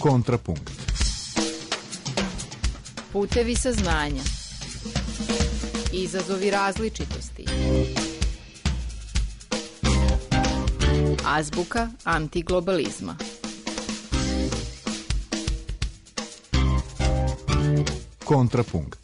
Kontrapunkt. Putevi saznanja. Izazovi različitosti. Azbuka antiglobalizma. Kontrapunkt.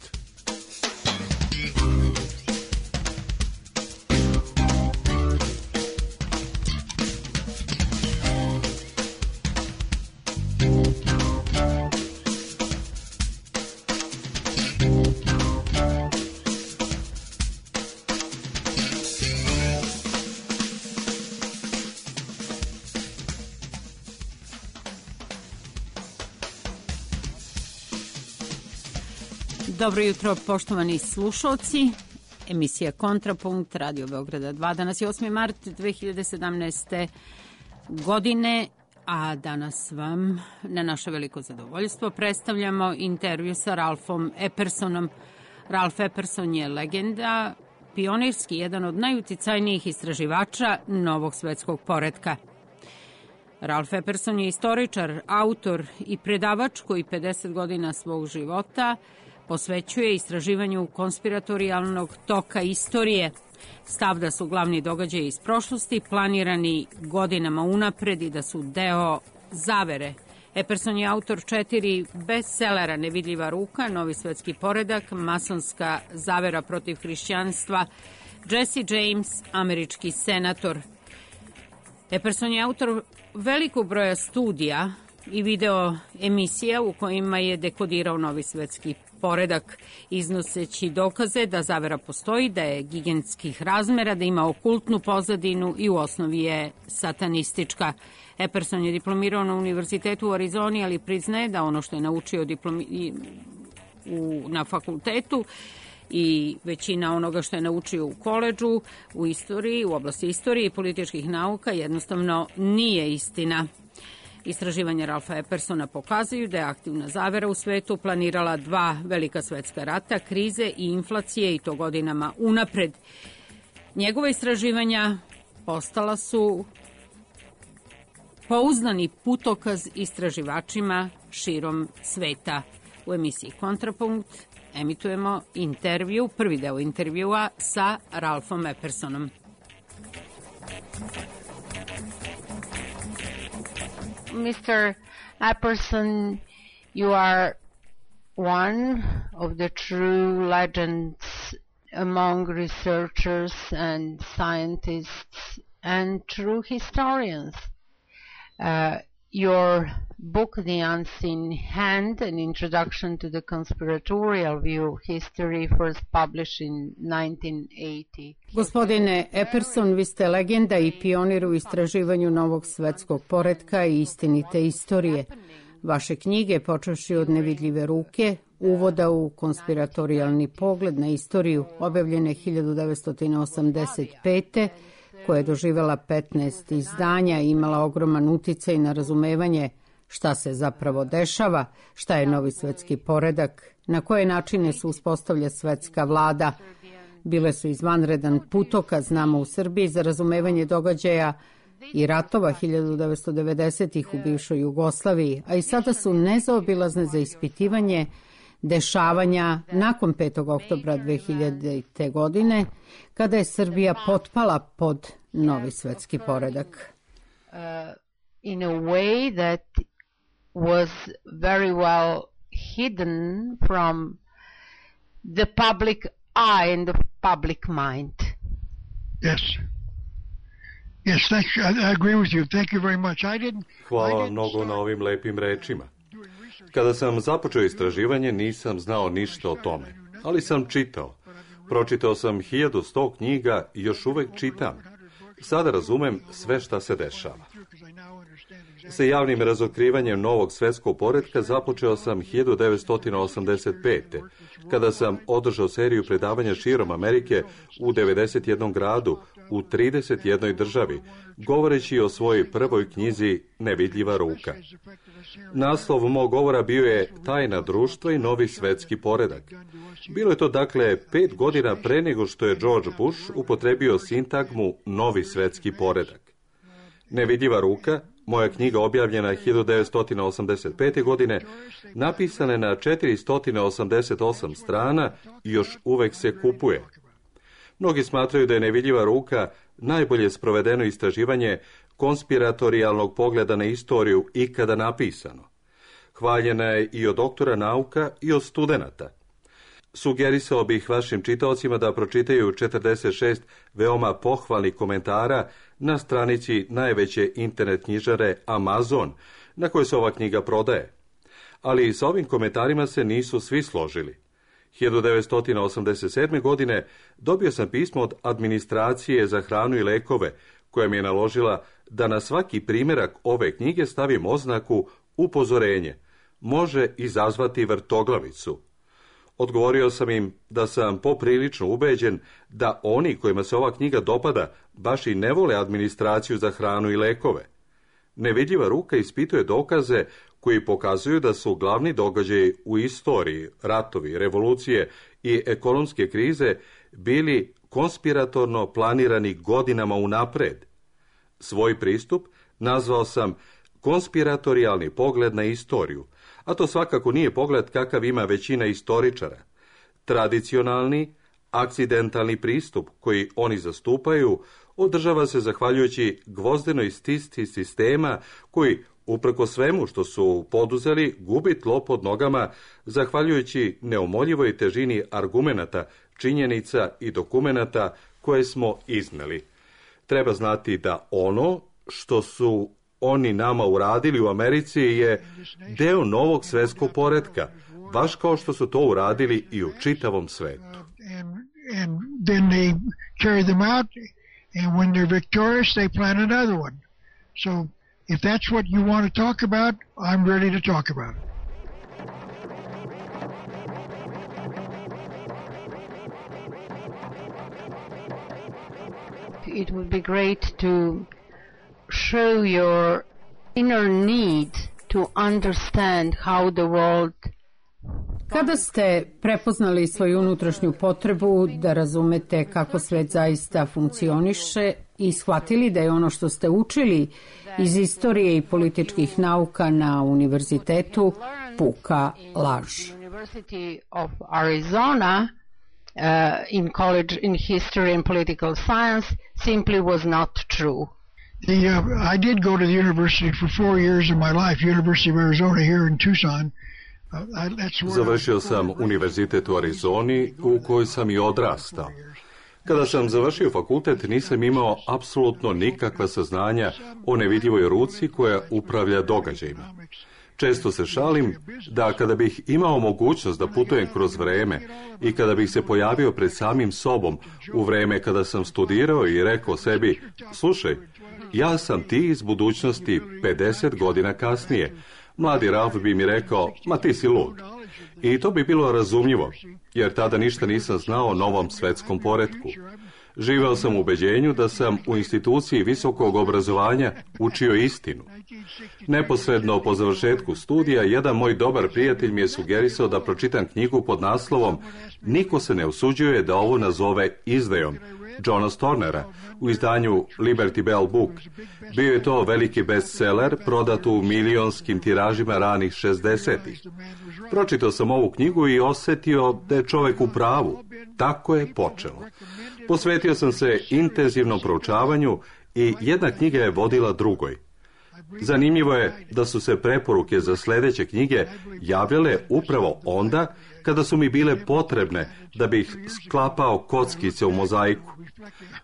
Dobro jutro, poštovani slušalci. Emisija Kontrapunkt, Radio Beograda 2. Danas je 8. mart 2017. godine, a danas vam na naše veliko zadovoljstvo predstavljamo intervju sa Ralfom Eppersonom. Ralf Epperson je legenda, pionirski, jedan od najuticajnijih istraživača novog svetskog poretka. Ralf Epperson je istoričar, autor i predavač koji 50 godina svog života posvećuje istraživanju konspiratorijalnog toka istorije. Stav da su glavni događaji iz prošlosti planirani godinama unapred i da su deo zavere. Epperson je autor 4 bestsellera: Nevidljiva ruka, Novi svetski poredak, Masonska zavera protiv hrišćanstva, Jesse James, američki senator. Epperson je autor velikog broja studija i video emisija u kojima je dekodirao novi svetski poredak, iznoseći dokaze da zavera postoji, da je gigantskih razmera, da ima okultnu pozadinu i u osnovi je satanistička. Epperson je diplomirao na Univerzitetu u Arizoni, ali priznaje da ono što je naučio na fakultetu i većina onoga što je naučio u koledžu, u istoriji, u oblasti istorije i političkih nauka jednostavno nije istina. Istraživanja Ralfa Eppersona pokazuju da je aktivna zavera u svetu planirala 2 velika svetska rata, krize i inflacije, i to godinama unapred. Njegova istraživanja postala su pouzdani putokaz istraživačima širom sveta. U emisiji Kontrapunkt emitujemo intervju, prvi deo intervjua sa Ralfom Eppersonom. Mr. Epperson, you are one of the true legends among researchers and scientists and true historians. Your book, The Unseen Hand, An Introduction to the Conspiratorial View of History, first published in 1980. Gospodine Epperson, vi ste legenda i pionir u istraživanju novog svetskog poretka i istinite istorije. Vaše knjige, počevši od Nevidljive ruke, uvoda u konspiratorijalni pogled na istoriju, objavljene 1985. koja je doživela 15 izdanja i imala ogroman uticaj na razumevanje šta se zapravo dešava, šta je novi svetski poredak, na koje načine se uspostavlja svetska vlada. Bile su izvanredan putokaz nama u Srbiji za razumevanje događaja i ratova 1990-ih u bivšoj Jugoslaviji, a i sada su nezaobilazne za ispitivanje dešavanja nakon 5. oktobra 2000. godine, kada je Srbija potpala pod novi svetski poredak. In a way that was very well hidden from the public eye and the public mind. Yes. Yes, thank you. I agree with you. Thank you very much. Hvala vam mnogo na ovim lepim rečima. Kada sam započeo istraživanje, nisam znao ništa o tome, ali sam čitao. Pročitao sam 1100 knjiga i još uvek čitam. Sada razumem sve šta se dešava. Sa javnim razotkrivanjem novog svetskog poretka započeo sam 1985. kada sam održao seriju predavanja širom Amerike u 91 gradu, u 31 državi, govoreći o svojoj prvoj knjizi Nevidljiva ruka. Naslov mog govora bio je Tajna društva i novi svetski poredak. Bilo je to dakle 5 godina pre nego što je George Bush upotrebio sintagmu novi svetski poredak. Nevidljiva ruka Moja knjiga objavljena 1985. godine, napisana je na 488 strana i još uvek se kupuje. Mnogi smatraju da je Nevidljiva ruka najbolje sprovedeno istraživanje konspiratorijalnog pogleda na istoriju ikada napisano. Hvaljena je i od doktora nauka i od studenata. Sugerisao bih vašim čitaocima da pročitaju 46 veoma pohvalnih komentara na stranici najveće internet knjižare Amazon, na kojoj se ova knjiga prodaje. Ali sa ovim komentarima se nisu svi složili. 1987. godine dobio sam pismo od administracije za hranu i lekove, koja mi je naložila da na svaki primjerak ove knjige stavim oznaku upozorenje. Može izazvati vrtoglavicu. Odgovorio sam im da sam poprilično ubeđen da oni kojima se ova knjiga dopada baš i ne vole administraciju za hranu i lekove. Nevidljiva ruka ispituje dokaze koji pokazuju da su glavni događaji u istoriji, ratovi, revolucije i ekonomske krize bili konspiratorno planirani godinama unapred. Svoj pristup nazvao sam konspiratorijalni pogled na istoriju, a to svakako nije pogled kakav ima većina istoričara. Tradicionalni, akcidentalni pristup koji oni zastupaju održava se zahvaljujući gvozdenoj stisci sistema koji, uprko svemu što su poduzeli, gubi tlo pod nogama zahvaljujući neumoljivoj težini argumenata, činjenica i dokumenata koje smo izneli. Treba znati da ono što su oni nama uradili u Americi je deo novog svetskog poretka, baš kao što su to uradili i u čitavom svetu. And then they carry them out, and when they're victorious, they plan another one. So if that's what you want to talk about, I'm ready to talk about it. It would be great to show your inner need to understand how the world. Kada ste prepoznali svoju unutrašnju potrebu da razumete kako svet zaista funkcioniše i shvatili da je ono što ste učili iz istorije i političkih nauka na univerzitetu puka laž. University of Arizona in college in history and political science simply was not true. I did go to the university for 4 years of my life, University of Arizona here in Tucson. Završio sam univerzitet u Arizoni, u kojoj sam i odrastao. Kada sam završio fakultet, nisam imao apsolutno nikakva saznanja o nevidljivoj ruci koja upravlja događajima. Često se šalim da kada bih imao mogućnost da putujem kroz vreme i kada bih se pojavio pred samim sobom u vreme kada sam studirao i rekao sebi, slušaj, ja sam ti iz budućnosti 50 godina kasnije, mladi Ralf bi mi rekao, ma ti si lud. I to bi bilo razumljivo, jer tada ništa nisam znao o novom svetskom poretku. Živeo sam u ubeđenju da sam u instituciji visokog obrazovanja učio istinu. Neposredno po završetku studija, jedan moj dobar prijatelj mi je sugerisao da pročitam knjigu pod naslovom Niko se ne usuđuje da ovo nazove izdajom, Johna Stornera, u izdanju Liberty Bell Book. Bio je to veliki bestseller, prodat u milionskim tiražima ranih 60-ih. Pročitao sam ovu knjigu i osjetio da je čovek u pravu. Tako je počelo. Posvetio sam se intenzivnom proučavanju i jedna knjiga je vodila drugoj. Zanimljivo je da su se preporuke za sljedeće knjige javljale upravo onda kada su mi bile potrebne da bih sklapao kockice u mozaiku.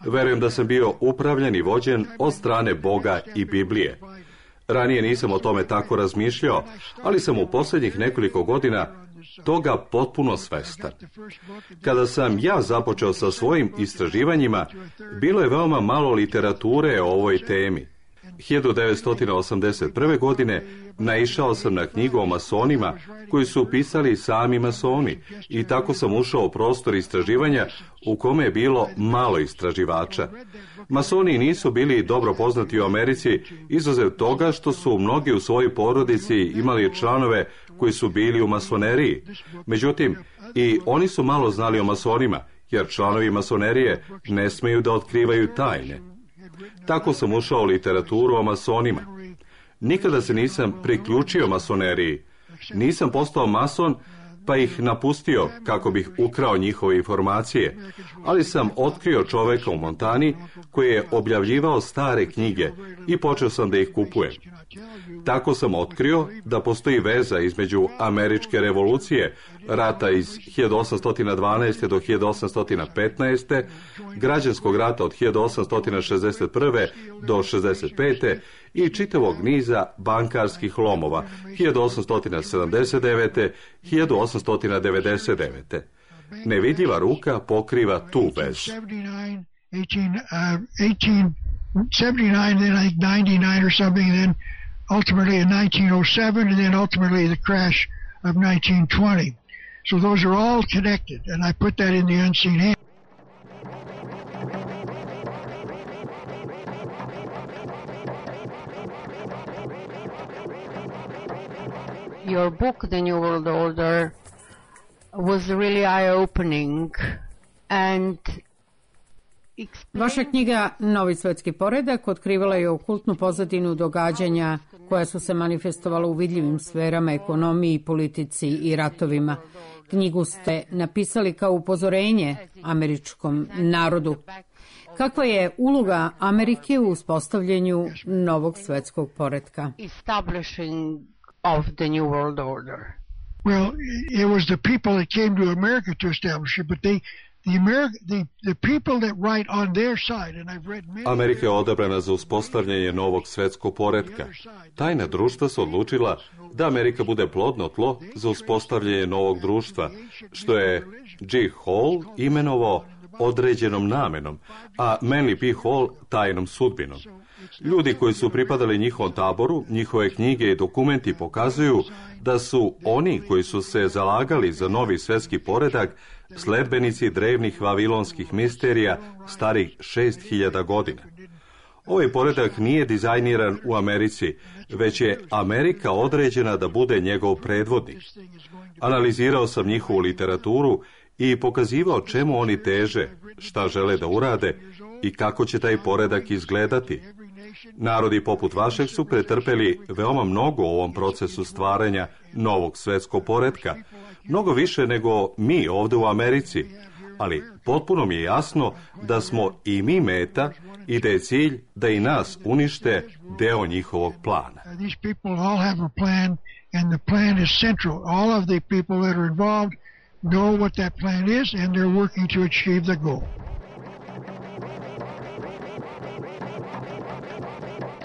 Verujem da sam bio upravljan i vođen od strane Boga i Biblije. Ranije nisam o tome tako razmišljao, ali sam u posljednjih nekoliko godina toga potpuno svestan. Kada sam ja započeo sa svojim istraživanjima, bilo je veoma malo literature o ovoj temi. 1981. godine naišao sam na knjigu o masonima koju su pisali sami masoni i tako sam ušao u prostor istraživanja u kome je bilo malo istraživača. Masoni nisu bili dobro poznati u Americi, izuzev toga što su mnogi u svojoj porodici imali članove koji su bili u masoneriji. Međutim, i oni su malo znali o masonima, jer članovi masonerije ne smeju da otkrivaju tajne. Tako sam ušao u literaturu o masonima. Nikada se nisam priključio masoneriji. Nisam postao mason, pa ih napustio kako bih ukrao njihove informacije, ali sam otkrio čoveka u Montani koji je objavljivao stare knjige i počeo sam da ih kupujem. Tako sam otkrio da postoji veza između američke revolucije, rata iz 1812. do 1815. građanskog rata od 1861. do 65. i čitavog niza bankarskih lomova 1879. 1899. Nevidljiva ruka pokriva tu vezu. 1879, then I think 99 or something, then ultimately in 1907, and then ultimately the crash of 1920. So those are all connected, and I put that in the unseen hand. Your book, The New World Order, was really eye-opening, and Vaša knjiga Novi svetski poredak otkrivala je okultnu pozadinu događanja koja su se manifestovala u vidljivim sferama, ekonomiji, politici i ratovima. Knjigu ste napisali kao upozorenje američkom narodu. Kakva je uloga Amerike u uspostavljanju novog svetskog poretka? establishing of the New World Order? Well, it was the people that came to America to establish it, but the people that write on their side, and I've read many... Amerika je odabrana za uspostavljanje novog svetskog poretka. Tajna društva su odlučila da Amerika bude plodno tlo za uspostavljanje novog društva, što je G. Hall imenovao određenom namenom, a Manly P. Hall tajnom sudbinom. Ljudi koji su pripadali njihovom taboru, njihove knjige i dokumenti pokazuju da su oni koji su se zalagali za novi svetski poredak sledbenici drevnih vavilonskih misterija starih 6000 godina. Ovaj poredak nije dizajniran u Americi, već je Amerika određena da bude njegov predvodnik. Analizirao sam njihovu literaturu i pokazivao čemu oni teže, šta žele da urade i kako će taj poredak izgledati. Narodi poput vašeg su pretrpeli veoma mnogo u ovom procesu stvaranja novog svetskog poretka, mnogo više nego mi ovde u Americi, ali potpuno mi je jasno da smo i mi meta i da je cilj da i nas unište deo njihovog plana. These people all have a plan, and the plan is central. All of the people that are involved know what that plan is, and they're working to achieve the goal.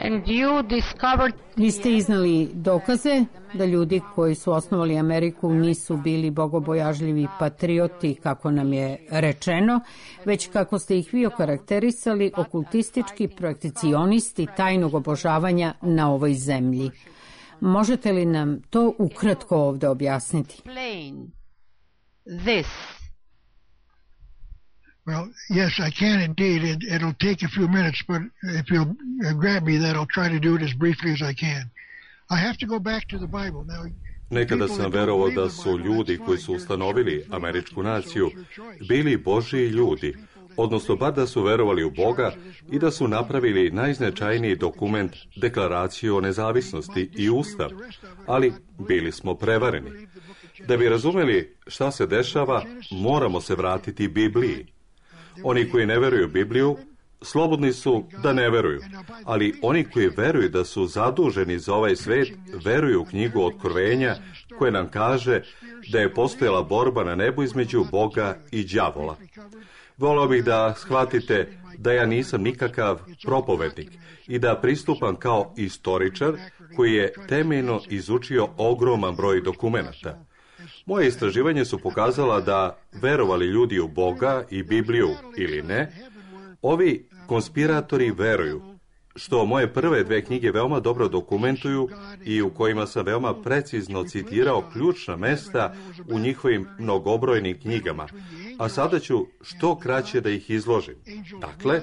And you discovered... Vi ste iznali dokaze da ljudi koji su osnovali Ameriku nisu bili bogobojažljivi patrioti, kako nam je rečeno, već kako ste ih vi okarakterisali, okultistički prakticionisti tajnog obožavanja na ovoj zemlji. Možete li nam to ukratko ovde objasniti? This. Well, yes, I can indeed. It'll take a few minutes, but if you'll grab me, then I'll try to do it as briefly as I can. I have to go back to the Bible. Now, nekada sam verovao da su ljudi koji su ustanovili američku naciju bili Božji ljudi, odnosno bar da su verovali u Boga i da su napravili najznačajniji dokument, deklaraciju o nezavisnosti i ustav, ali bili smo prevareni. Da bi razumeli šta se dešava, moramo se vratiti Bibliji. Oni koji ne veruju Bibliju, slobodni su da ne veruju, ali oni koji veruju da su zaduženi za ovaj svet, veruju u knjigu Otkrovenja koja nam kaže da je postojala borba na nebu između Boga i đavola. Voleo bih da shvatite da ja nisam nikakav propovednik i da pristupam kao istoričar koji je temeljno izučio ogroman broj dokumenata. Moje istraživanje su pokazala da, verovali ljudi u Boga i Bibliju ili ne, ovi konspiratori veruju, što moje prve dve knjige veoma dobro dokumentuju i u kojima sam veoma precizno citirao ključna mesta u njihovim mnogobrojnim knjigama, a sada ću što kraće da ih izložim. Dakle,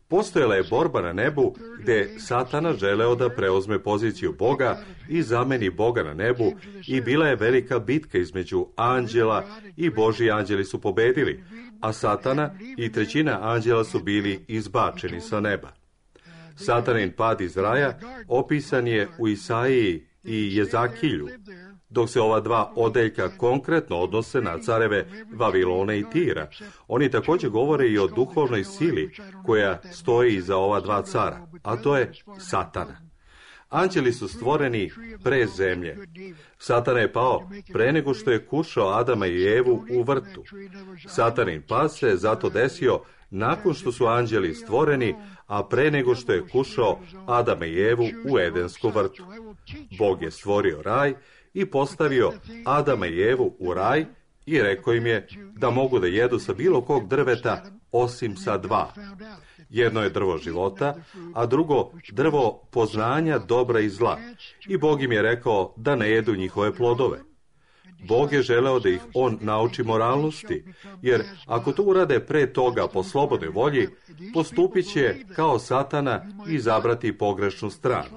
postojala je borba na nebu gde Satana želeo da preuzme poziciju Boga i zameni Boga na nebu i bila je velika bitka između anđela i Božji anđeli su pobedili, a Satana i trećina anđela su bili izbačeni sa neba. Satanin pad iz raja opisan je u Isaiji i Jezakilju, dok se ova dva odeljka konkretno odnose na careve Vavilona i Tira. Oni također govore i o duhovnoj sili koja stoji iza ova dva cara, a to je Satana. Anđeli su stvoreni pre zemlje. Satana je pao pre nego što je kušao Adama i Evu u vrtu. Satanin pad se zato desio nakon što su anđeli stvoreni, a pre nego što je kušao Adama i Evu u Edenskom vrtu. Bog je stvorio raj i postavio Adama i Evu u raj i rekao im je da mogu da jedu sa bilo kog drveta osim sa dva. Jedno je drvo života, a drugo drvo poznanja dobra i zla. I Bog im je rekao da ne jedu njihove plodove. Bog je želeo da ih on nauči moralnosti, jer ako to urade pre toga po slobodnoj volji, postupit će kao Satana i izabrati pogrešnu stranu.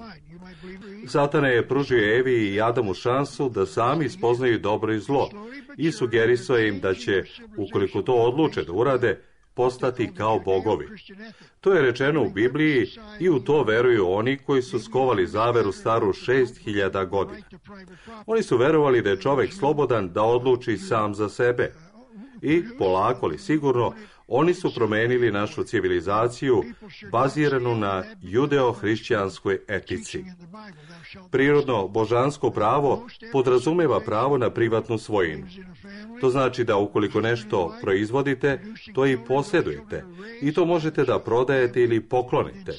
Satana je pružio Evi i Adamu šansu da sami spoznaju dobro i zlo i sugerisao im da će, ukoliko to odluče da urade, postati kao bogovi. To je rečeno u Bibliji i u to veruju oni koji su skovali zaveru staru 6000 godina. Oni su verovali da je čovek slobodan da odluči sam za sebe. I, polako li sigurno, oni su promenili našu civilizaciju baziranu na judeo-hrišćanskoj etici. Prirodno božansko pravo podrazumeva pravo na privatnu svojinu. To znači da ukoliko nešto proizvodite, to i posjedujete i to možete da prodajete ili poklonite.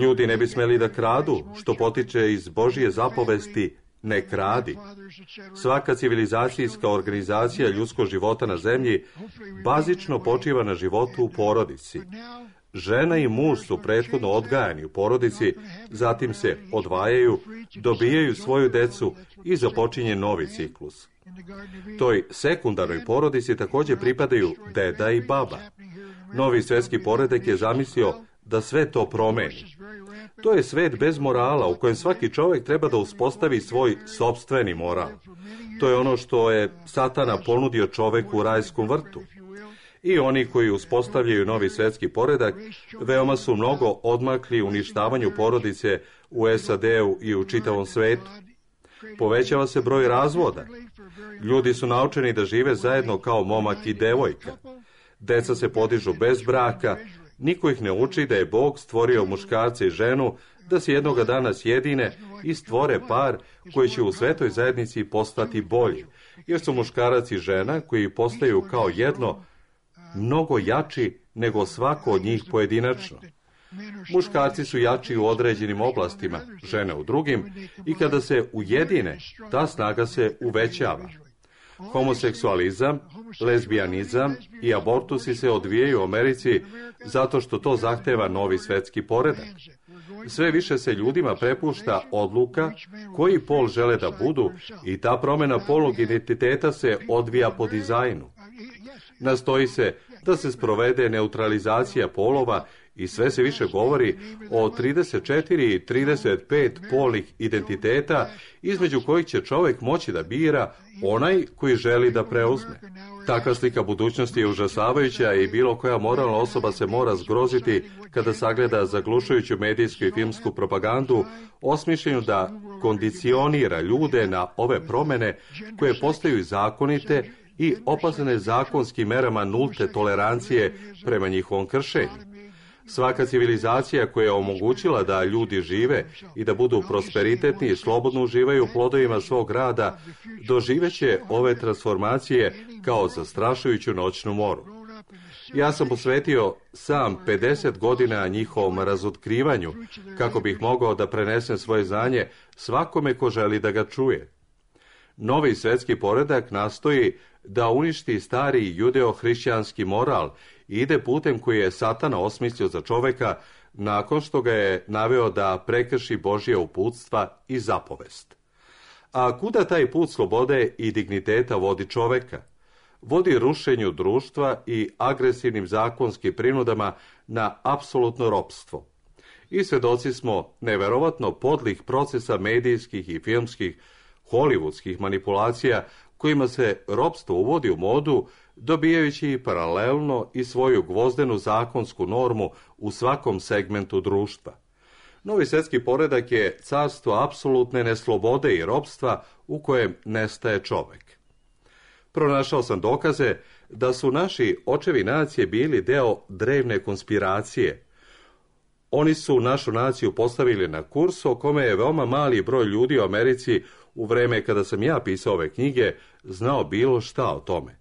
Ljudi ne bi smeli da kradu, što potiče iz Božje zapovesti ne kradi. Svaka civilizacijska organizacija ljudskog života na zemlji bazično počiva na životu u porodici. Žena i muž su prethodno odgajani u porodici, zatim se odvajaju, dobijaju svoju decu i započinje novi ciklus. Toj sekundarnoj porodici također pripadaju deda i baba. Novi svjetski poredak je zamislio da sve to promeni. To je svet bez morala u kojem svaki čovjek treba da uspostavi svoj sopstveni moral. To je ono što je Satana ponudio čoveku u rajskom vrtu. I oni koji uspostavljaju novi svjetski poredak veoma su mnogo odmakli uništavanju porodice u SAD-u i u čitavom svetu. Povećava se broj razvoda. Ljudi su naučeni da žive zajedno kao momak i devojka. Deca se podižu bez braka. Niko ih ne uči da je Bog stvorio muškarca i ženu, da se jednoga dana sjedine i stvore par koji će u svetoj zajednici postati bolji, jer su muškarac i žena koji postaju kao jedno mnogo jači nego svako od njih pojedinačno. Muškarci su jači u određenim oblastima, žene u drugim, i kada se ujedine, ta snaga se uvećava. Homoseksualizam, lezbijanizam i abortusi se odvijaju u Americi zato što to zahteva novi svetski poredak. Sve više se ljudima prepušta odluka koji pol žele da budu i ta promjena polnog identiteta se odvija po dizajnu. Nastoji se da se sprovede neutralizacija polova i sve se više govori o 34 i 35 polnih identiteta između kojih će čovjek moći da bira onaj koji želi da preuzme. Takva slika budućnosti je užasavajuća i bilo koja moralna osoba se mora zgroziti kada sagleda zaglušujuću medijsku i filmsku propagandu osmišljenu da kondicionira ljude na ove promjene koje postaju zakonite i opasne zakonskim merama nulte tolerancije prema njihovom kršenju. Svaka civilizacija koja je omogućila da ljudi žive i da budu prosperitetni i slobodno uživaju plodovima svog rada, doživeće ove transformacije kao zastrašujuću noćnu moru. Ja sam posvetio sam 50 godina njihovom razotkrivanju, kako bih mogao da prenesem svoje znanje svakome ko želi da ga čuje. Novi svjetski poredak nastoji da uništi stari judeo-hrišćanski moral i ide putem koji je Satana osmislio za čoveka nakon što ga je naveo da prekrši Božje uputstva i zapovest. A kuda taj put slobode i digniteta vodi čoveka? Vodi rušenju društva i agresivnim zakonskim prinudama na apsolutno ropstvo. I svedoci smo neverovatno podlih procesa medijskih i filmskih hollywoodskih manipulacija kojima se ropstvo uvodi u modu, dobijajući paralelno i svoju gvozdenu zakonsku normu u svakom segmentu društva. Novi svjetski poredak je carstvo apsolutne neslobode i ropstva u kojem nestaje čovek. Pronašao sam dokaze da su naši očevi nacije bili deo drevne konspiracije. Oni su našu naciju postavili na kurs o kome je veoma mali broj ljudi u Americi u vreme kada sam ja pisao ove knjige znao bilo šta o tome.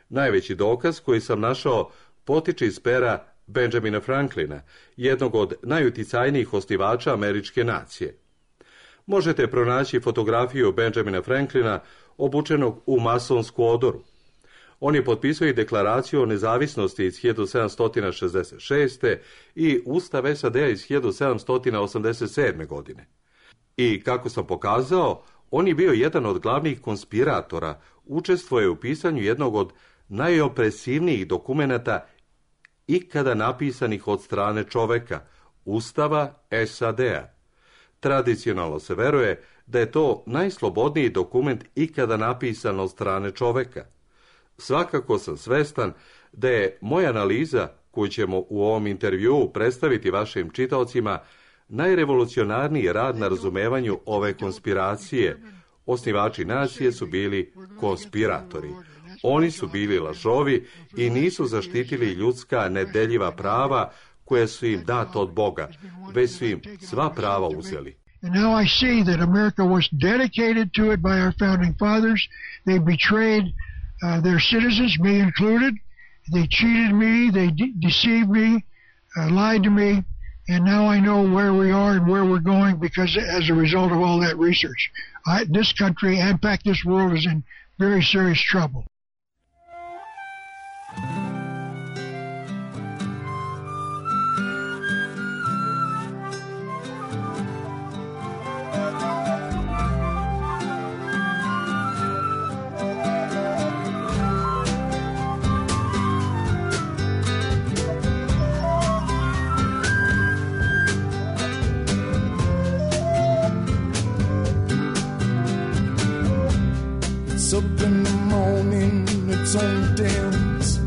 Najveći dokaz koji sam našao potiče iz pera Benjamina Franklina, jednog od najuticajnijih osnivača američke nacije. Možete pronaći fotografiju Benjamina Franklina obučenog u masonsku odoru. On je potpisao i deklaraciju o nezavisnosti iz 1766. i Ustav SAD-a iz 1787. godine. I, kako sam pokazao, on je bio jedan od glavnih konspiratora, učestvuje u pisanju jednog od najopresivnijih dokumenata ikada napisanih od strane čoveka, Ustava SAD-a. Tradicionalno se veruje da je to najslobodniji dokument ikada napisan od strane čoveka. Svakako sam svestan da je moja analiza, koju ćemo u ovom intervjuu predstaviti vašim čitaocima, najrevolucionarniji rad na razumevanju ove konspiracije. Osnivači nacije su bili konspiratori. Oni su bili lažovi i nisu zaštitili ljudska nedeljiva prava koja su im data od Boga, već su im sva prava uzeli. And now I see that America was dedicated to it by our founding fathers. They betrayed their citizens, me included. They cheated me, they deceived me, lied to me, and now I know where we are and where we're going because as a result of all that research. This country, and in fact this world, is in very serious trouble. It's up in the morning, it's on dance,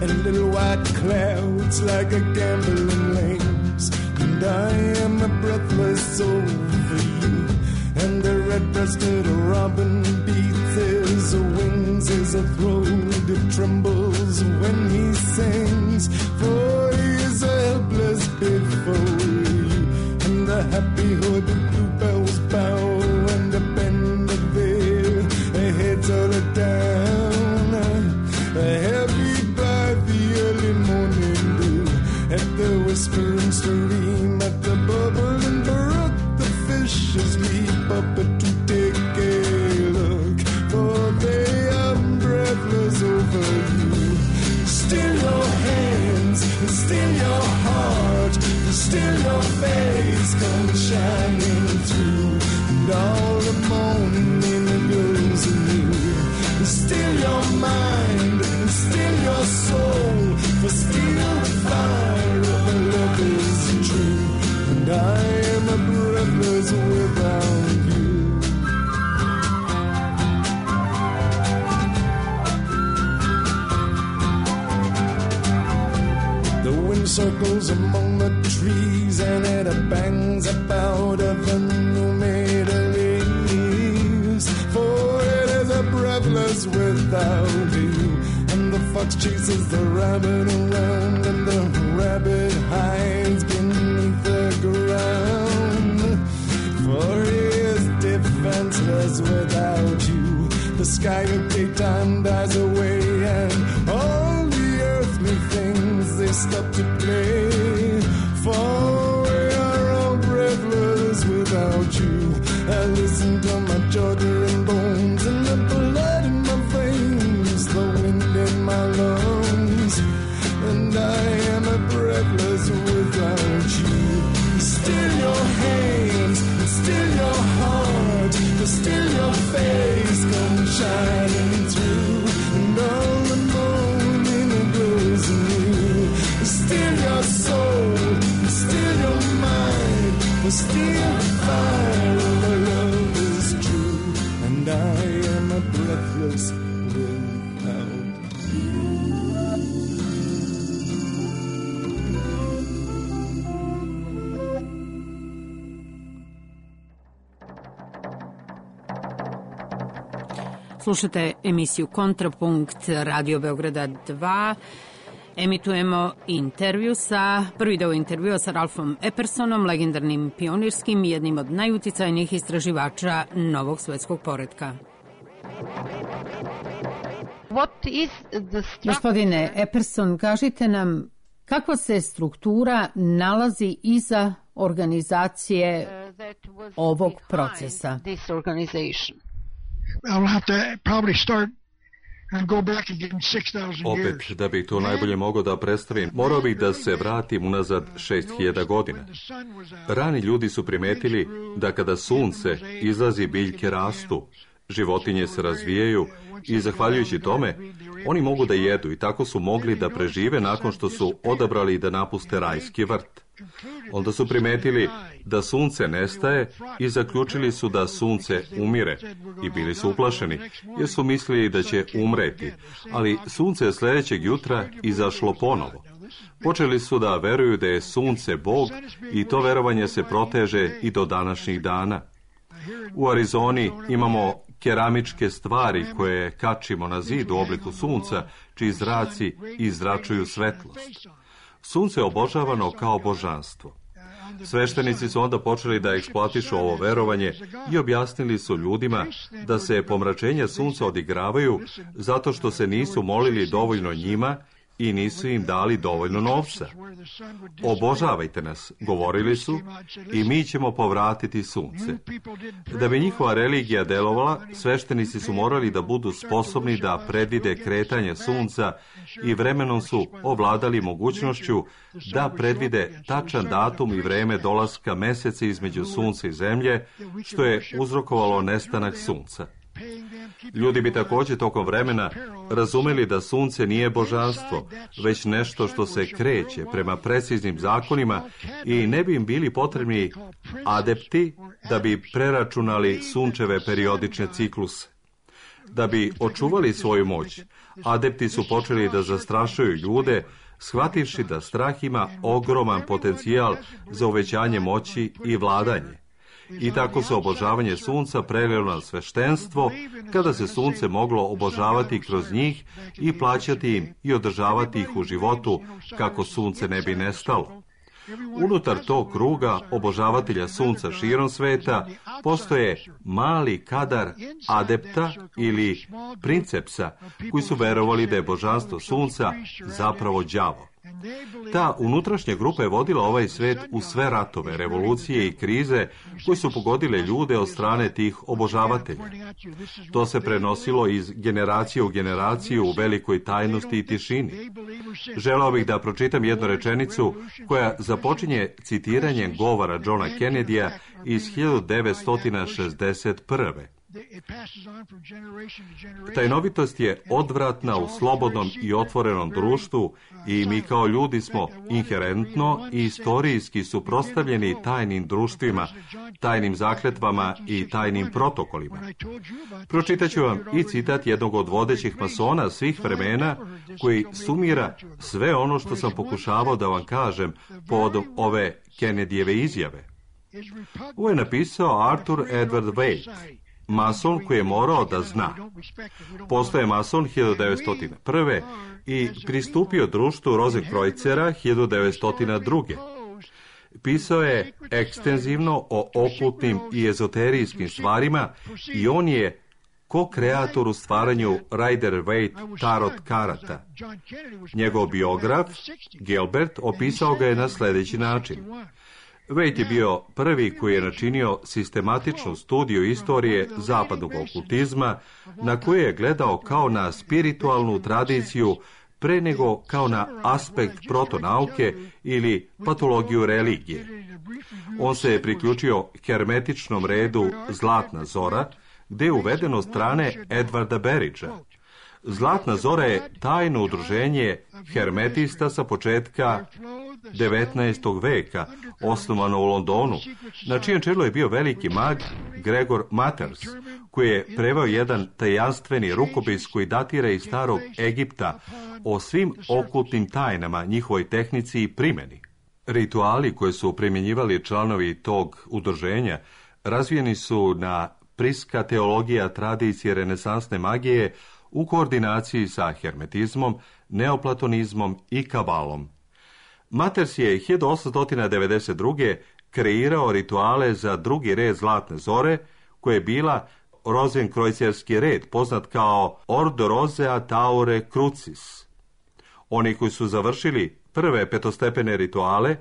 and little white clouds like a gambling lambs. And I am breathless over you, and the red-breasted robin beats his wings as a throat it trembles when he sings. For he is helpless before you, and the happy hood bluebells bow and the bend of their heads all down, heavy by the early morning dew, at the whispering stream, at the bubbling brook, the fishes leap up to take a look, for they are breathless over you. Still your hands, still your heart, still your face come shining through, and all the morning glows anew. Still your mind, still your soul, for still the fire of love is true, and I am breathless without you. The wind circles among the trees, and it bangs about of the new-made leaves, for it is breathless without you. And the fox chases the rabbit around, and the rabbit hides beneath the ground, for he is defenseless without you. The sky of daytime dies away, and all the earthly things they stop to play, for we are all breathless without you. I listen to my Georgia and bones, and the blood in my veins, the wind in my lungs, and I am breathless without you. Still your hands, still your heart, still your face come shining through, and all the morning glows anew. Still your soul, still your mind, for still the fire of love is true, and I am breathless without you. Slušate emisiju Kontrapunkt Radio Beograda 2. Emitujemo prvi deo intervjua sa Ralfom Eppersonom, legendarnim pionirskim i jednim od najuticajnijih istraživača novog svetskog poretka. Gospodine Epperson, kažite nam kakva se struktura nalazi iza organizacije ovog procesa? Opet, da bih to najbolje mogao da predstavim, morao bih da se vratim unazad 6000 godina. Rani ljudi su primetili da kada sunce izlazi, biljke rastu, životinje se razvijaju i zahvaljujući tome oni mogu da jedu i tako su mogli da prežive nakon što su odabrali da napuste rajski vrt. Onda su primetili da sunce nestaje i zaključili su da sunce umire i bili su uplašeni jer su mislili da će umreti, ali sunce je sljedećeg jutra izašlo ponovo. Počeli su da veruju da je sunce Bog i to verovanje se proteže i do današnjih dana. U Arizoni imamo keramičke stvari koje kačimo na zid u obliku sunca, čiji zraci izračuju svetlost. Sunce je obožavano kao božanstvo. Sveštenici su onda počeli da eksploatišu ovo verovanje i objasnili su ljudima da se pomračenja sunca odigravaju zato što se nisu molili dovoljno njima i nisu im dali dovoljno novca. Obožavajte nas, govorili su, i mi ćemo povratiti sunce. Da bi njihova religija delovala, sveštenici su morali da budu sposobni da predvide kretanje sunca i vremenom su ovladali mogućnošću da predvide tačan datum i vreme dolaska meseca između sunca i zemlje, što je uzrokovalo nestanak sunca. Ljudi bi također tokom vremena razumeli da sunce nije božanstvo, već nešto što se kreće prema preciznim zakonima i ne bi im bili potrebni adepti da bi preračunali sunčeve periodične cikluse. Da bi očuvali svoju moć, adepti su počeli da zastrašuju ljude, shvativši da strah ima ogroman potencijal za uvećanje moći i vladanje. I tako se obožavanje sunca prelilo na sveštenstvo, kada se sunce moglo obožavati kroz njih i plaćati im i održavati ih u životu kako sunce ne bi nestalo. Unutar tog kruga obožavatelja sunca širom sveta postoje mali kadar adepta ili princepsa koji su verovali da je božanstvo sunca zapravo đavo. Ta unutrašnja grupa je vodila ovaj svet u sve ratove, revolucije i krize koje su pogodile ljude od strane tih obožavatelja. To se prenosilo iz generacije u generaciju u velikoj tajnosti i tišini. Želeo bih da pročitam jednu rečenicu koja započinje citiranjem govora Johna Kennedya iz 1961. Tajnovitost je odvratna u slobodnom i otvorenom društvu i mi kao ljudi smo inherentno i istorijski suprotstavljeni tajnim društvima, tajnim zakletvama i tajnim protokolima. Pročitat ću vam i citat jednog od vodećih masona svih vremena koji sumira sve ono što sam pokušavao da vam kažem povodom ove Kennedyjeve izjave. Ovo je napisao Arthur Edward Waite, mason koji je morao da zna. Postao je mason 1901. i pristupio društvu Rozenkreuzera 1902. Pisao je ekstenzivno o okultnim i ezoterijskim stvarima i on je ko-kreator u stvaranju Rider-Waite tarot karata. Njegov biograf, Gilbert, opisao ga je na sljedeći način. Waite je bio prvi koji je načinio sistematičnu studiju istorije zapadnog okultizma, na koju je gledao kao na spiritualnu tradiciju pre nego kao na aspekt protonauke ili patologiju religije. On se je priključio hermetičnom redu Zlatna zora, gdje je uvedeno strane Edvarda Berridgea. Zlatna zora je tajno udruženje hermetista sa početka 19. veka, osnovano u Londonu, na čijem čelu je bio veliki mag Gregor Mathers, koji je preveo jedan tajanstveni rukopis koji datira iz starog Egipta o svim okultnim tajnama, njihovoj tehnici i primjeni. Rituali koje su primjenjivali članovi tog udruženja razvijeni su na priska teologija tradicije renesansne magije u koordinaciji sa hermetizmom, neoplatonizmom i kabalom. Maters je 1892. kreirao rituale za drugi red zlatne zore, koje je bila rozenkrojcerski red, poznat kao Ordo Rosea Taure Crucis. Oni koji su završili prve petostepene rituale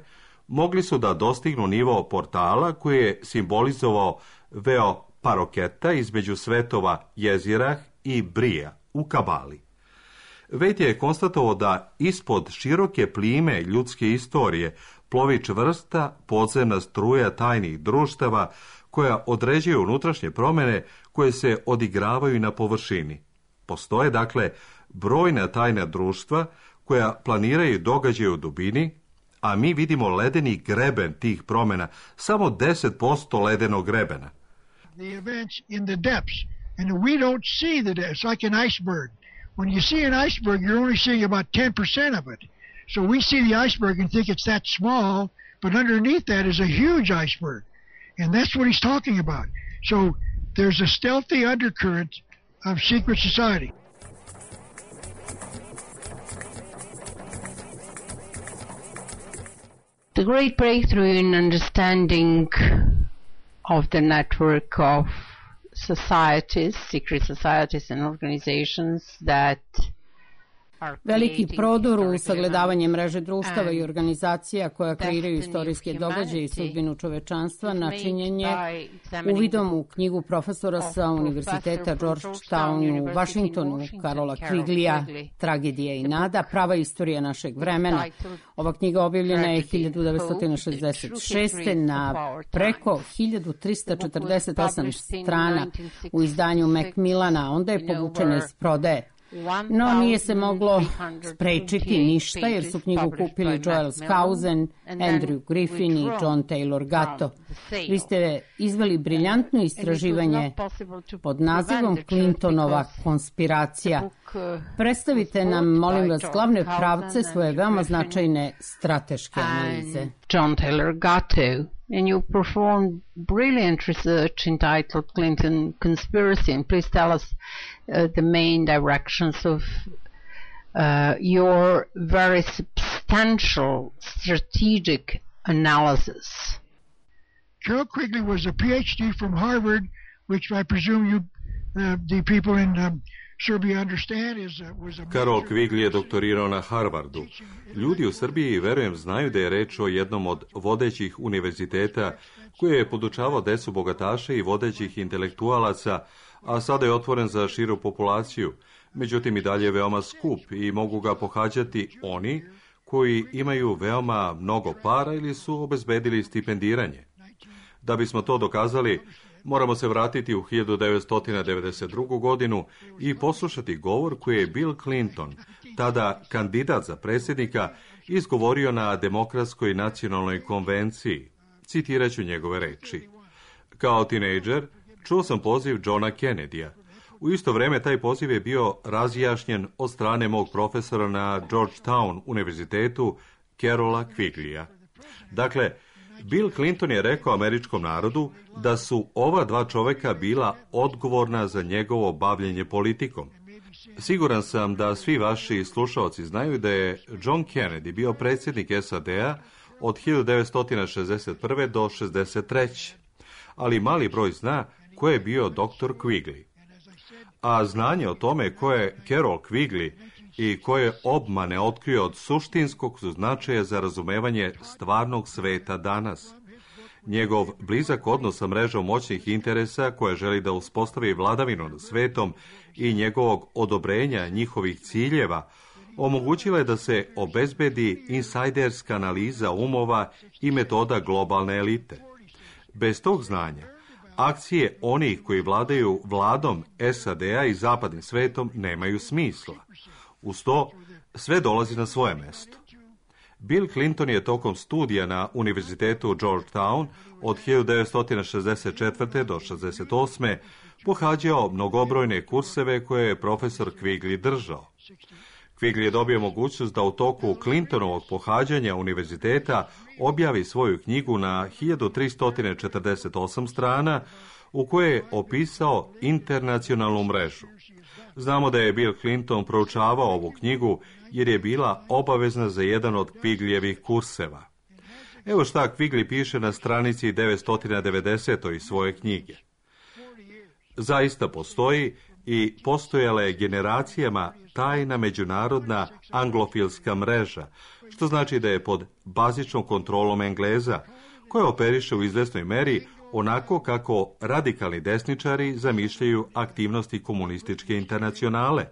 mogli su da dostignu nivo portala koji je simbolizovao veo paroketa između svetova Jezirah i Brija u kabali. Vejt je konstatovao da ispod široke plime ljudske istorije plovi čvrsta podzemna struja tajnih društava koja određuje unutrašnje promjene koje se odigravaju i na površini. Postoje, dakle, brojna tajna društva koja planiraju događaje u dubini, a mi vidimo ledeni greben tih promjena, samo 10% ledenog grebena. The events in the depths, and we don't see the depths. It's like an iceberg. When you see an iceberg, you're only seeing about 10% of it. So we see the iceberg and think it's that small, but underneath that is a huge iceberg. And that's what he's talking about. So there's a stealthy undercurrent of secret society. The great breakthrough in understanding of the network of societies, secret societies and organizations that Veliki prodor u sagledavanje mreže društava i organizacija koja kreiraju istorijske događaje i sudbinu čovečanstva načinjen je uvidom u knjigu profesora sa Univerziteta Georgetown u Vašingtonu, Karola Quigleyja, Tragedija i nada, prava istorija našeg vremena. Ova knjiga objavljena je 1966. na preko 1348 strana u izdanju Macmillana, onda je povučena iz prodaje. No, nije se moglo sprečiti ništa, jer su knjigu kupili Joel Skousen, Andrew Griffin i John Taylor Gatto. Vi ste izveli briljantno istraživanje pod nazivom Clintonova konspiracija. Predstavite nam, molim vas, glavne pravce svoje veoma značajne strateške analize. John Taylor Gatto. And you performed brilliant research entitled Clinton Conspiracy. And please tell us the main directions of your very substantial strategic analysis. Carol Quigley was a PhD from Harvard, which I presume you, the people in Serbia understand was a... Karol Quigley je doktorirao na Harvardu. Ljudi u Srbiji, verujem, znaju da je reč o jednom od vodećih univerziteta koji je podučavao decu bogataša i vodećih intelektualaca, a sada je otvoren za širu populaciju. Međutim, i dalje je veoma skup i mogu ga pohađati oni koji imaju veoma mnogo para ili su obezbedili stipendiranje. Da bismo to dokazali, moramo se vratiti u 1992. godinu i poslušati govor koji je Bill Clinton, tada kandidat za predsjednika, izgovorio na Demokratskoj nacionalnoj konvenciji. Citiraću njegove reči. Kao tinejdžer čuo sam poziv Johna Kennedyja. U isto vrijeme taj poziv je bio razjašnjen od strane mog profesora na Georgetown univerzitetu Carola Quigleyja. Dakle, Bill Clinton je rekao američkom narodu da su ova dva čoveka bila odgovorna za njegovo bavljenje politikom. Siguran sam da svi vaši slušaoci znaju da je John Kennedy bio predsjednik SAD-a od 1961. do 1963. Ali mali broj zna ko je bio dr. Quigley. A znanje o tome ko je Carol Quigley i koje obmane otkrio od suštinskog su značaja za razumevanje stvarnog sveta danas. Njegov blizak odnos sa mrežom moćnih interesa koja želi da uspostavi vladavinu nad svetom i njegovog odobrenja njihovih ciljeva omogućila je da se obezbedi insajderska analiza umova i metoda globalne elite. Bez tog znanja, akcije onih koji vladaju vladom SAD-a i zapadnim svetom nemaju smisla. Uz to, sve dolazi na svoje mesto. Bill Clinton je tokom studija na Univerzitetu Georgetown od 1964. do 1968. pohađao mnogobrojne kurseve koje je profesor Quigley držao. Quigley je dobio mogućnost da u toku Clintonovog pohađanja univerziteta objavi svoju knjigu na 1348 strana u kojoj je opisao internacionalnu mrežu. Znamo da je Bill Clinton proučavao ovu knjigu jer je bila obavezna za jedan od Quigleyevih kurseva. Evo šta Quigley piše na stranici 990. iz svoje knjige. Zaista postoji i postojala je generacijama tajna međunarodna anglofilska mreža, što znači da je pod bazičnom kontrolom Engleza, koja operiše u izvesnoj meri onako kako radikalni desničari zamišljaju aktivnosti komunističke internacionale.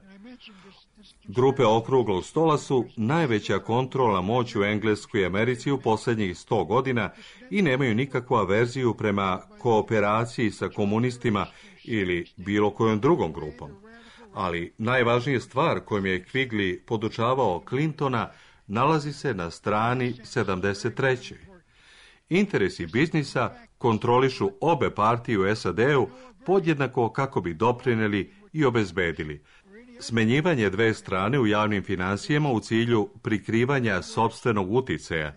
Grupe okruglog stola su najveća kontrolna moć u Engleskoj i Americi u posljednjih 100 godina i nemaju nikakvu averziju prema kooperaciji sa komunistima ili bilo kojom drugom grupom. Ali najvažnija stvar kojom je Quigley podučavao Clintona nalazi se na strani 73. Interesi biznisa kontrolišu obe partije u SAD-u podjednako kako bi doprinijeli i obezbedili smenjivanje dve strane u javnim financijama u cilju prikrivanja sopstvenog uticaja,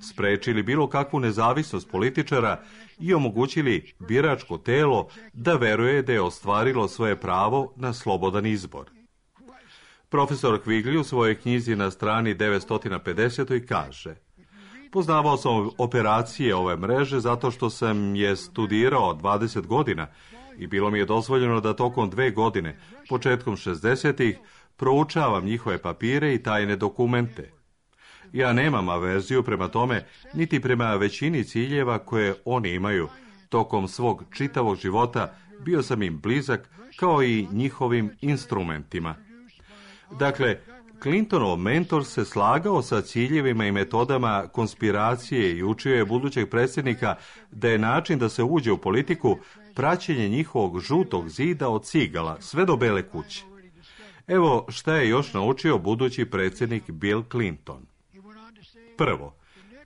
sprečili bilo kakvu nezavisnost političara i omogućili biračko telo da veruje da je ostvarilo svoje pravo na slobodan izbor. Profesor Quigley u svojoj knjizi na strani 950. kaže: poznavao sam operacije ove mreže zato što sam je studirao 20 godina i bilo mi je dozvoljeno da tokom 2 godine, početkom 60-ih, proučavam njihove papire i tajne dokumente. Ja nemam averziju prema tome, niti prema većini ciljeva koje oni imaju. Tokom svog čitavog života bio sam im blizak kao i njihovim instrumentima. Dakle, Clintonov mentor se slagao sa ciljevima i metodama konspiracije i učio je budućeg predsjednika da je način da se uđe u politiku praćenje njihovog žutog zida od cigala sve do Bele kuće. Evo šta je još naučio budući predsjednik Bill Clinton. Prvo,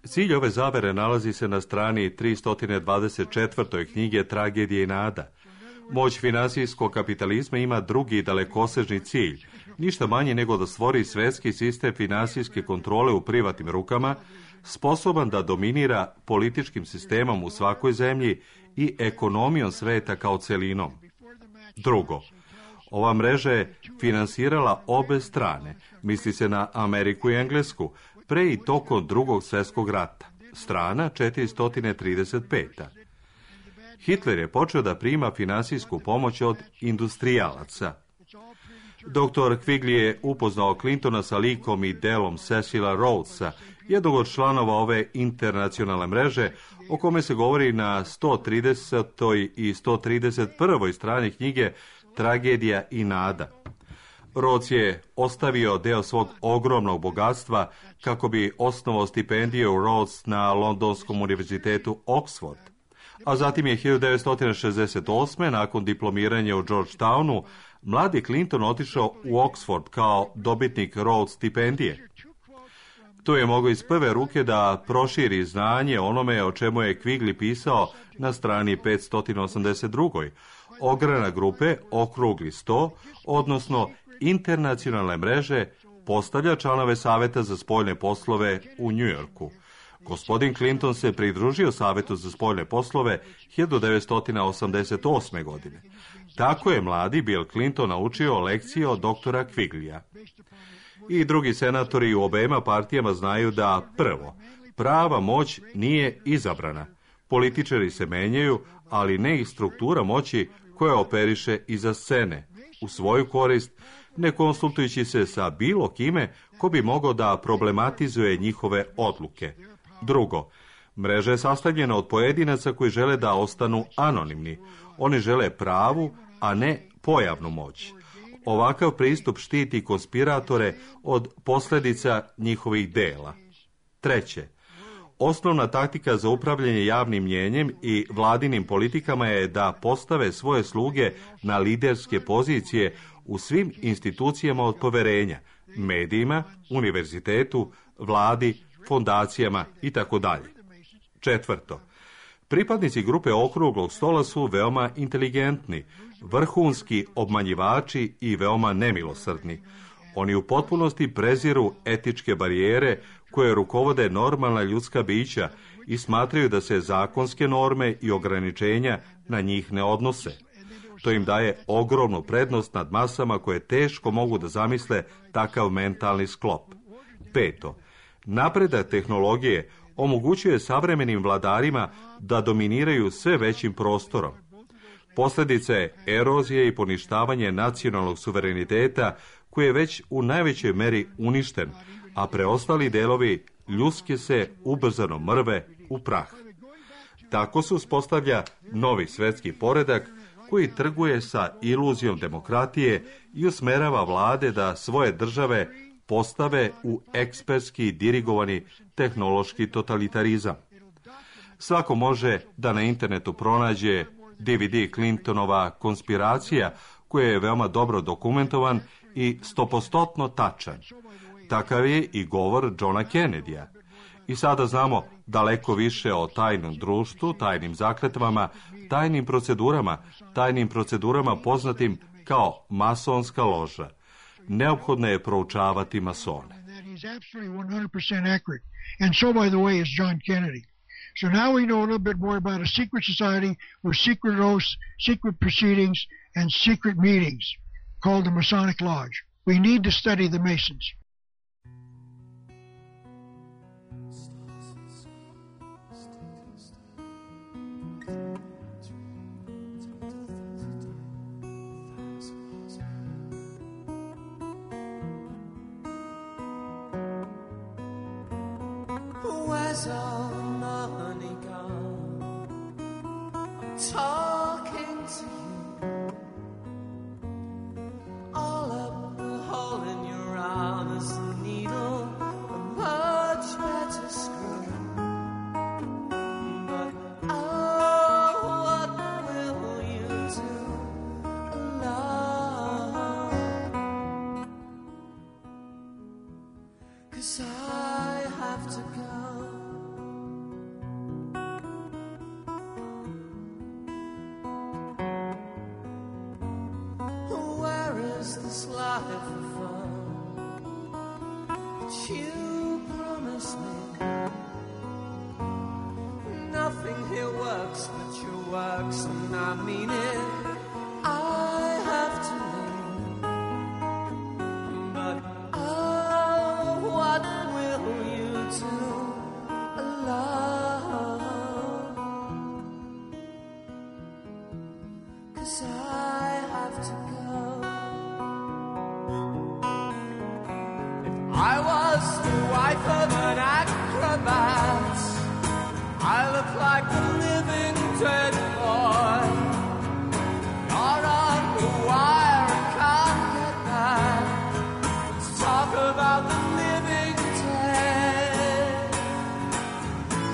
cilj ove zavere nalazi se na strani 324. knjige Tragedije i nada. Moć finansijskog kapitalizma ima drugi dalekosežni cilj, ništa manje nego da stvori svjetski sistem finansijske kontrole u privatnim rukama, sposoban da dominira političkim sistemom u svakoj zemlji i ekonomijom sveta kao celinom. Drugo, ova mreža je finansirala obe strane, misli se na Ameriku i Englesku, pre i tokom Drugog svjetskog rata, strana 435. Hitler je počeo da prima finansijsku pomoć od industrijalaca. Dr. Quigley je upoznao Clintona sa likom i delom Cecila Rhodesa, jednog od članova ove internacionalne mreže, o kome se govori na 130. i 131. strani knjige Tragedija i nada. Rhodes je ostavio deo svog ogromnog bogatstva kako bi osnovao stipendiju Rhodes na Londonskom univerzitetu Oxford. A zatim je 1968. nakon diplomiranja u Georgetownu mladi Clinton otišao u Oxford kao dobitnik Rhodes stipendije. Tu je mogao iz prve ruke da proširi znanje onome o čemu je Quigley pisao na strani 582. Ogranak grupe Okrugli sto, odnosno internacionalne mreže, postavlja članove Saveta za spoljne poslove u Njujorku. Gospodin Clinton se pridružio Savetu za spoljne poslove 1988. godine. Tako je mladi Bill Clinton naučio lekcije od doktora Quigleya. I drugi senatori u obema partijama znaju da, prvo, prava moć nije izabrana. Političari se menjaju, ali ne i struktura moći koja operiše iza scene, u svoju korist, ne konsultujući se sa bilo kime ko bi mogao da problematizuje njihove odluke. Drugo, mreža je sastavljena od pojedinaca koji žele da ostanu anonimni. Oni žele pravu, a ne pojavnu moć. Ovakav pristup štiti konspiratore od posljedica njihovih dela. Treće, osnovna taktika za upravljanje javnim mnjenjem i vladinim politikama je da postave svoje sluge na liderske pozicije u svim institucijama od poverenja, medijima, univerzitetu, vladi, fondacijama itd. Četvrto, pripadnici grupe Okruglog stola su veoma inteligentni, vrhunski obmanjivači i veoma nemilosrdni. Oni u potpunosti preziru etičke barijere koje rukovode normalna ljudska bića i smatraju da se zakonske norme i ograničenja na njih ne odnose. To im daje ogromnu prednost nad masama koje teško mogu da zamisle takav mentalni sklop. 5. Napredak tehnologije omogućuje savremenim vladarima da dominiraju sve većim prostorom. Posljedica je erozije i poništavanje nacionalnog suvereniteta koji je već u najvećoj meri uništen, a preostali delovi ljudske se ubrzano mrve u prah. Tako se uspostavlja novi svetski poredak koji trguje sa iluzijom demokratije i usmerava vlade da svoje države postave u ekspertski dirigovani tehnološki totalitarizam. Svako može da na internetu pronađe DVD Clintonova konspiracija, koji je veoma dobro dokumentovan i 100% tačan. Takav je i govor Johna Kennedya. I sada znamo daleko više o tajnom društvu, tajnim zakletvama, tajnim procedurama poznatim kao masonska loža. Neophodno je proučavati masone. So now we know a little bit more about a secret society with secret oaths, secret proceedings, and secret meetings called the Masonic Lodge. We need to study the Masons. Where's all the money gone? I'm talking to you. All up the hole in your arm is a needle, a much better screw. But oh, what will you do alone? 'Cause I have to go. This life of fun that you promised me. Nothing here works but your works, and I mean it. I have to leave, but oh, what will you do alone? 'Cause I have to go. I was the wife of an acrobat. I look like a living dead boy. You're on the wire and can't get back. Let's talk about the living dead.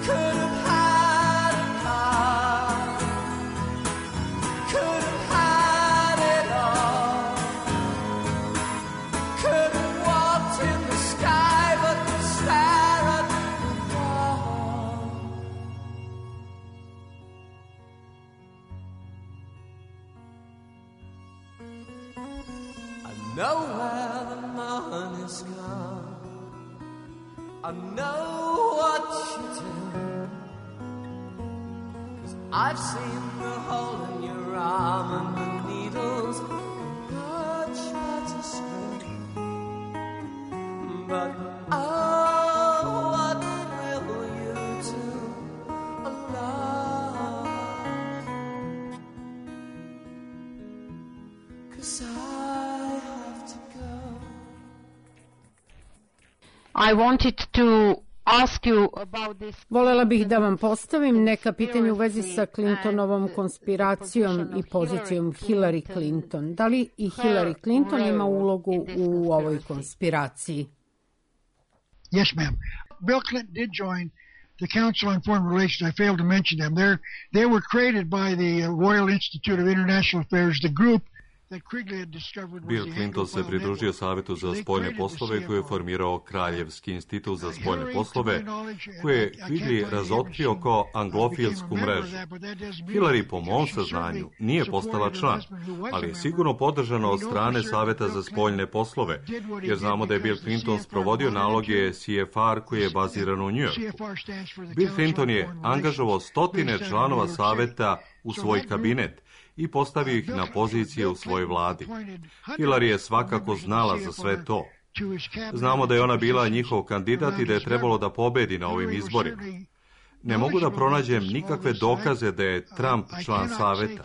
Could have had a car. Could have had it all. Could have walked in the sky, but stare at the wall. I know where the money's gone. I know what you do. 'Cause I've seen the hole in your arm and the needles much better screwed. But oh, what will you do alone? 'Cause I have to go. I wanted to ask you about this. Volela bih da vam postavim neka pitanja u vezi sa Clintonovom konspiracijom i pozicijom Hillary Clinton. Da li i Hillary Clinton ima ulogu u ovoj konspiraciji? Yes, ma'am. Bill Clinton did join the Council on Foreign Relations. I failed to mention them. They were created by the Royal Institute of International Affairs, the group Bill Clinton se pridružio Savetu za spoljne poslove koji je formirao Kraljevski institut za spoljne poslove, koji je Quigley razotkrio kao anglofilsku mrežu. Hillary, po mom saznanju, nije postala član, ali je sigurno podržana od strane Saveta za spoljne poslove, jer znamo da je Bill Clinton sprovodio naloge CFR koji je baziran u New Yorku. Bill Clinton je angažovao stotine članova Saveta u svoj kabinet i postavio ih na pozicije u svojoj vladi. Hillary je svakako znala za sve to. Znamo da je ona bila njihov kandidat i da je trebalo da pobedi na ovim izborima. Ne mogu da pronađem nikakve dokaze da je Trump član Saveta.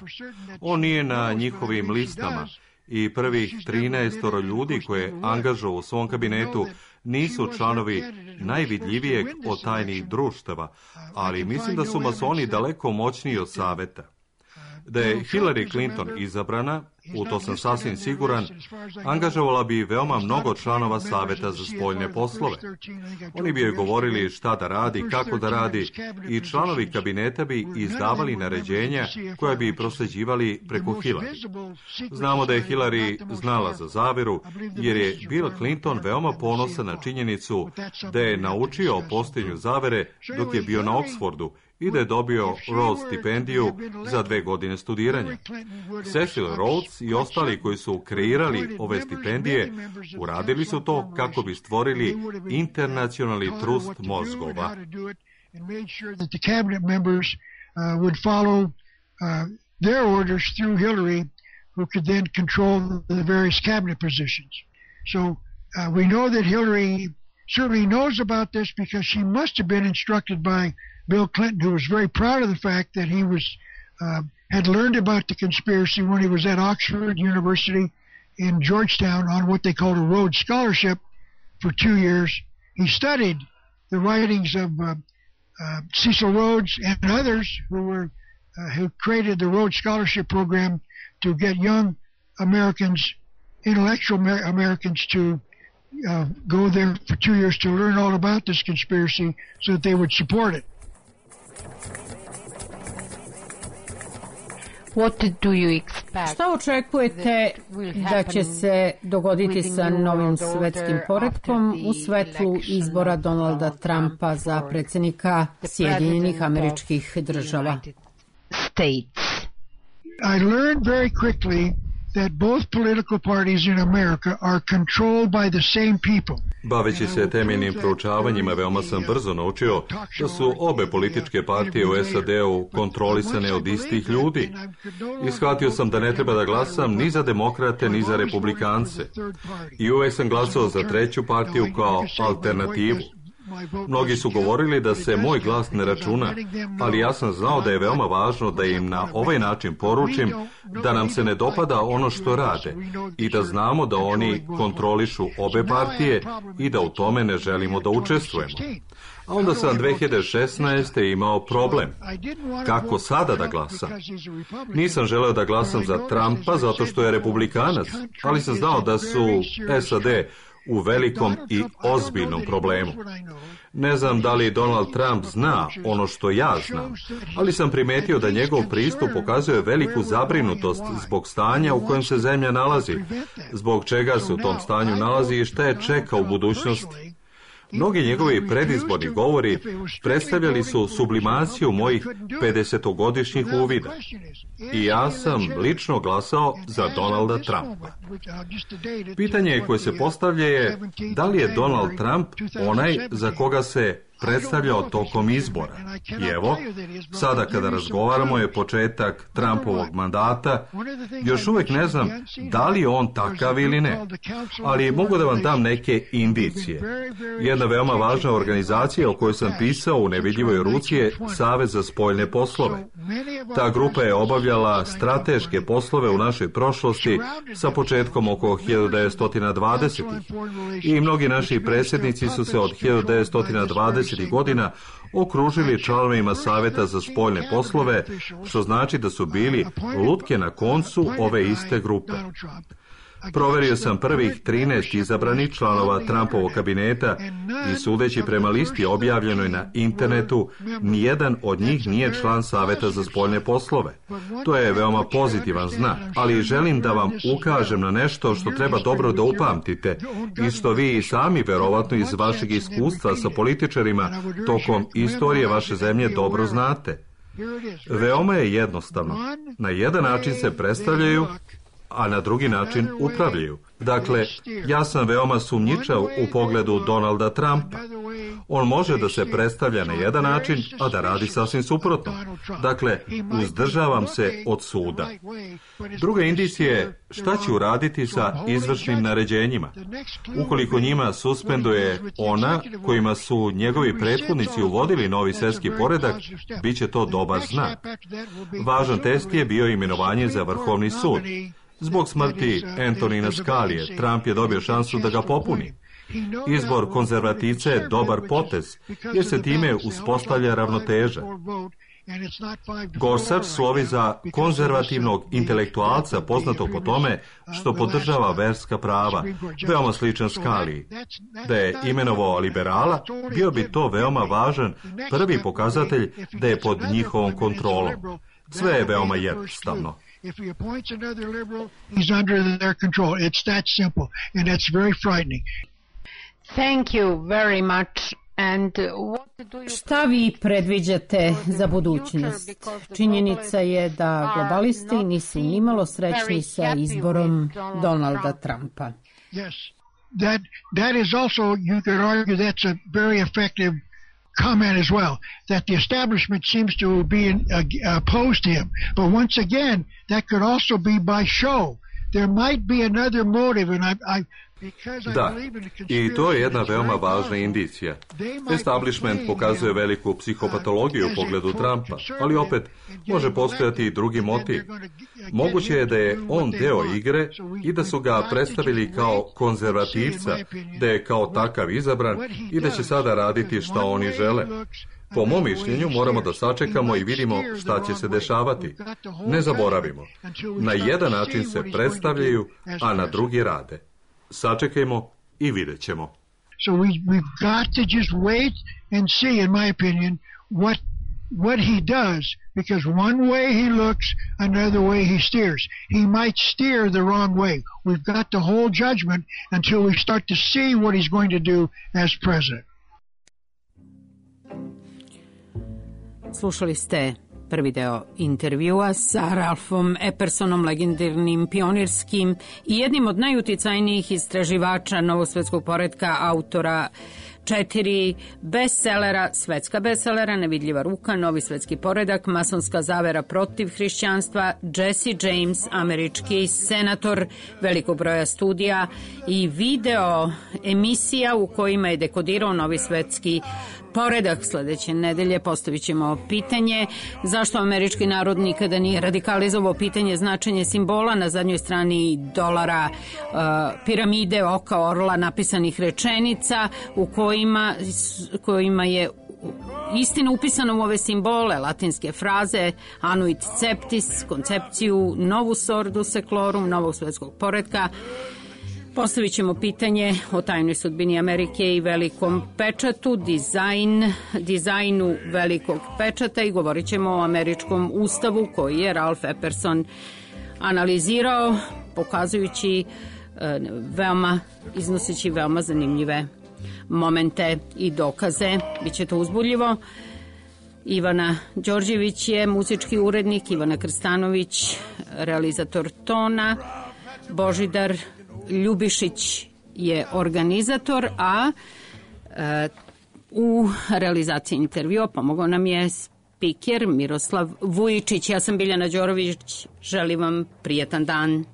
On nije na njihovim listama i prvih 13 ljudi koje je angažovao u svom kabinetu nisu članovi najvidljivijeg od tajnih društava, ali mislim da su masoni daleko moćniji od Saveta. Da je Hillary Clinton izabrana, u to sam sasvim siguran, angažovala bi veoma mnogo članova Saveta za spoljne poslove. Oni bi joj govorili šta da radi, kako da radi i članovi kabineta bi izdavali naređenja koja bi prosleđivali preko Hillary. Znamo da je Hillary znala za zaveru, jer je Bill Clinton veoma ponosan na činjenicu da je naučio o postojanju zavere dok je bio na Oxfordu i da je dobio Rhodes stipendiju za 2 godine studiranja. Cecil Rhodes i ostali koji su kreirali ove stipendije uradili su to kako bi stvorili internacionalni trust mozgova. Their orders through Hillary, who could then control the various cabinet positions. So we know that Hillary certainly knows about this because she must have been instructed by Bill Clinton, who was very proud of the fact that he was had learned about the conspiracy when he was at Oxford University in Georgetown on what they called a Rhodes Scholarship for 2 years. He studied the writings of Cecil Rhodes and others who created the Rhodes Scholarship program to get young Americans, intellectual Americans, to go there for 2 years to learn all about this conspiracy so that they would support it. Šta očekujete da će se dogoditi sa novim svetskim poretkom u svetlu izbora Donalda Trumpa za predsjednika Sjedinjenih Američkih Država? I learned very quickly that both political parties in America are controlled by the same people. Baveći se temeljnim proučavanjima, veoma sam brzo naučio da su obe političke partije u SAD-u kontrolisane od istih ljudi. I shvatio sam da ne treba da glasam ni za demokrate, ni za republikance. I uvek sam glasao za treću partiju kao alternativu. Mnogi su govorili da se moj glas ne računa, ali ja sam znao da je veoma važno da im na ovaj način poručim da nam se ne dopada ono što rade i da znamo da oni kontrolišu obe partije i da u tome ne želimo da učestvujemo. A onda sam 2016. imao problem. Kako sada da glasam? Nisam želeo da glasam za Trumpa zato što je republikanac, ali sam znao da su SAD u velikom i ozbiljnom problemu. Ne znam da li Donald Trump zna ono što ja znam, ali sam primetio da njegov pristup pokazuje veliku zabrinutost zbog stanja u kojem se zemlja nalazi, zbog čega se u tom stanju nalazi i šta je čeka u budućnosti. Mnogi njegovi predizborni govori predstavljali su sublimaciju mojih 50-godišnjih uvida. I ja sam lično glasao za Donalda Trumpa. Pitanje koje se postavlja je da li je Donald Trump onaj za koga se predstavljao tokom izbora. I evo, sada kada razgovaramo je početak Trumpovog mandata, još uvek ne znam da li je on takav ili ne, ali mogu da vam dam neke indicije. Jedna veoma važna organizacija o kojoj sam pisao u nevidljivoj ruci je Savez za spoljne poslove. Ta grupa je obavljala strateške poslove u našoj prošlosti sa početkom oko 1920-ih. I mnogi naši predsjednici su se od 1920 godina okružili članovima Saveta za spoljne poslove, što znači da su bili lutke na koncu ove iste grupe. Proverio sam prvih 13 izabranih članova Trumpovog kabineta i sudeći prema listi objavljenoj na internetu, nijedan od njih nije član Saveta za spoljne poslove. To je veoma pozitivan znak, ali želim da vam ukažem na nešto što treba dobro da upamtite i što vi i sami verovatno iz vašeg iskustva sa političarima tokom istorije vaše zemlje dobro znate. Veoma je jednostavno. Na jedan način se predstavljaju, a na drugi način upravljaju. Dakle, ja sam veoma sumnjičav u pogledu Donalda Trumpa. On može da se predstavlja na jedan način, a da radi sasvim suprotno. Dakle, uzdržavam se od suda. Druga indicija je šta će uraditi sa izvršnim naređenjima. Ukoliko njima suspenduje ona kojima su njegovi prethodnici uvodili novi svjetski poredak, bit će to dobar znak. Važan test je bio imenovanje za Vrhovni sud. Zbog smrti Antonina Scalije, Trump je dobio šansu da ga popuni. Izbor konzervativca je dobar potez, jer se time uspostavlja ravnoteža. Gorsuch slovi za konzervativnog intelektualca poznatog po tome što podržava verska prava, veoma sličan Scaliji. Da je imenovao liberala, bio bi to veoma važan prvi pokazatelj da je pod njihovom kontrolom. Sve je veoma jednostavno. If he appoints another liberal, he's under their control. It's that simple, and that's very frightening. Thank you very much. And what do you... Šta vi predviđate za budućnost? Činjenica je da globalisti nisu nimalo srećni sa izborom Donalda Trumpa. Yes, that is also, you could argue that's a very effective comment as well, that the establishment seems to be opposed to him. But once again, that could also be by show. There might be another motive, and Da, i to je jedna veoma važna indicija. Establishment pokazuje veliku psihopatologiju u pogledu Trumpa, ali opet može postojati i drugi motiv. Moguće je da je on deo igre i da su ga predstavili kao konzervativca, da je kao takav izabran i da će sada raditi šta oni žele. Po mom mišljenju moramo da sačekamo i vidimo šta će se dešavati. Ne zaboravimo, na jedan način se predstavljaju, a na drugi rade. Sačekajmo i vidjet ćemo. So we've got to just wait and see, in my opinion, what he does, because one way he looks, another way he steers. He might steer the wrong way. We've got to hold judgment until we start to see what he's going to do as president. Slušali ste prvi deo intervjua sa Ralphom Eppersonom, legendarnim pionirskim i jednim od najuticajnijih istraživača novosvetskog poretka, autora 4 bestsellera, svetska bestsellera, Nevidljiva ruka, Novi svetski poredak, Masonska zavera protiv hrišćanstva, Jesse James, američki senator, velikog broja studija i video emisija u kojima je dekodirao novi svetski poredak. Sledeće nedelje postavit ćemo pitanje zašto američki narod nikada nije radikalizovao pitanje značenje simbola na zadnjoj strani dolara, piramide, oka, orla, napisanih rečenica u kojima je istina upisana u ove simbole, latinske fraze, anuit ceptis, koncepciju novus ordus seclorum, novog svetskog poretka. Postavit ćemo pitanje o tajnoj sudbini Amerike i velikom pečatu, dizajnu velikog pečata i govorit ćemo o američkom ustavu koji je Ralph Epperson analizirao, pokazujući iznoseći veoma zanimljive momente i dokaze. Biće to uzbudljivo. Ivana Đorđević je muzički urednik, Ivana Krstanović realizator tona, Božidar Ljubišić je organizator, a u realizaciji intervjua pomogao nam je spiker Miroslav Vujičić. Ja sam Biljana Đorović, želim vam prijetan dan.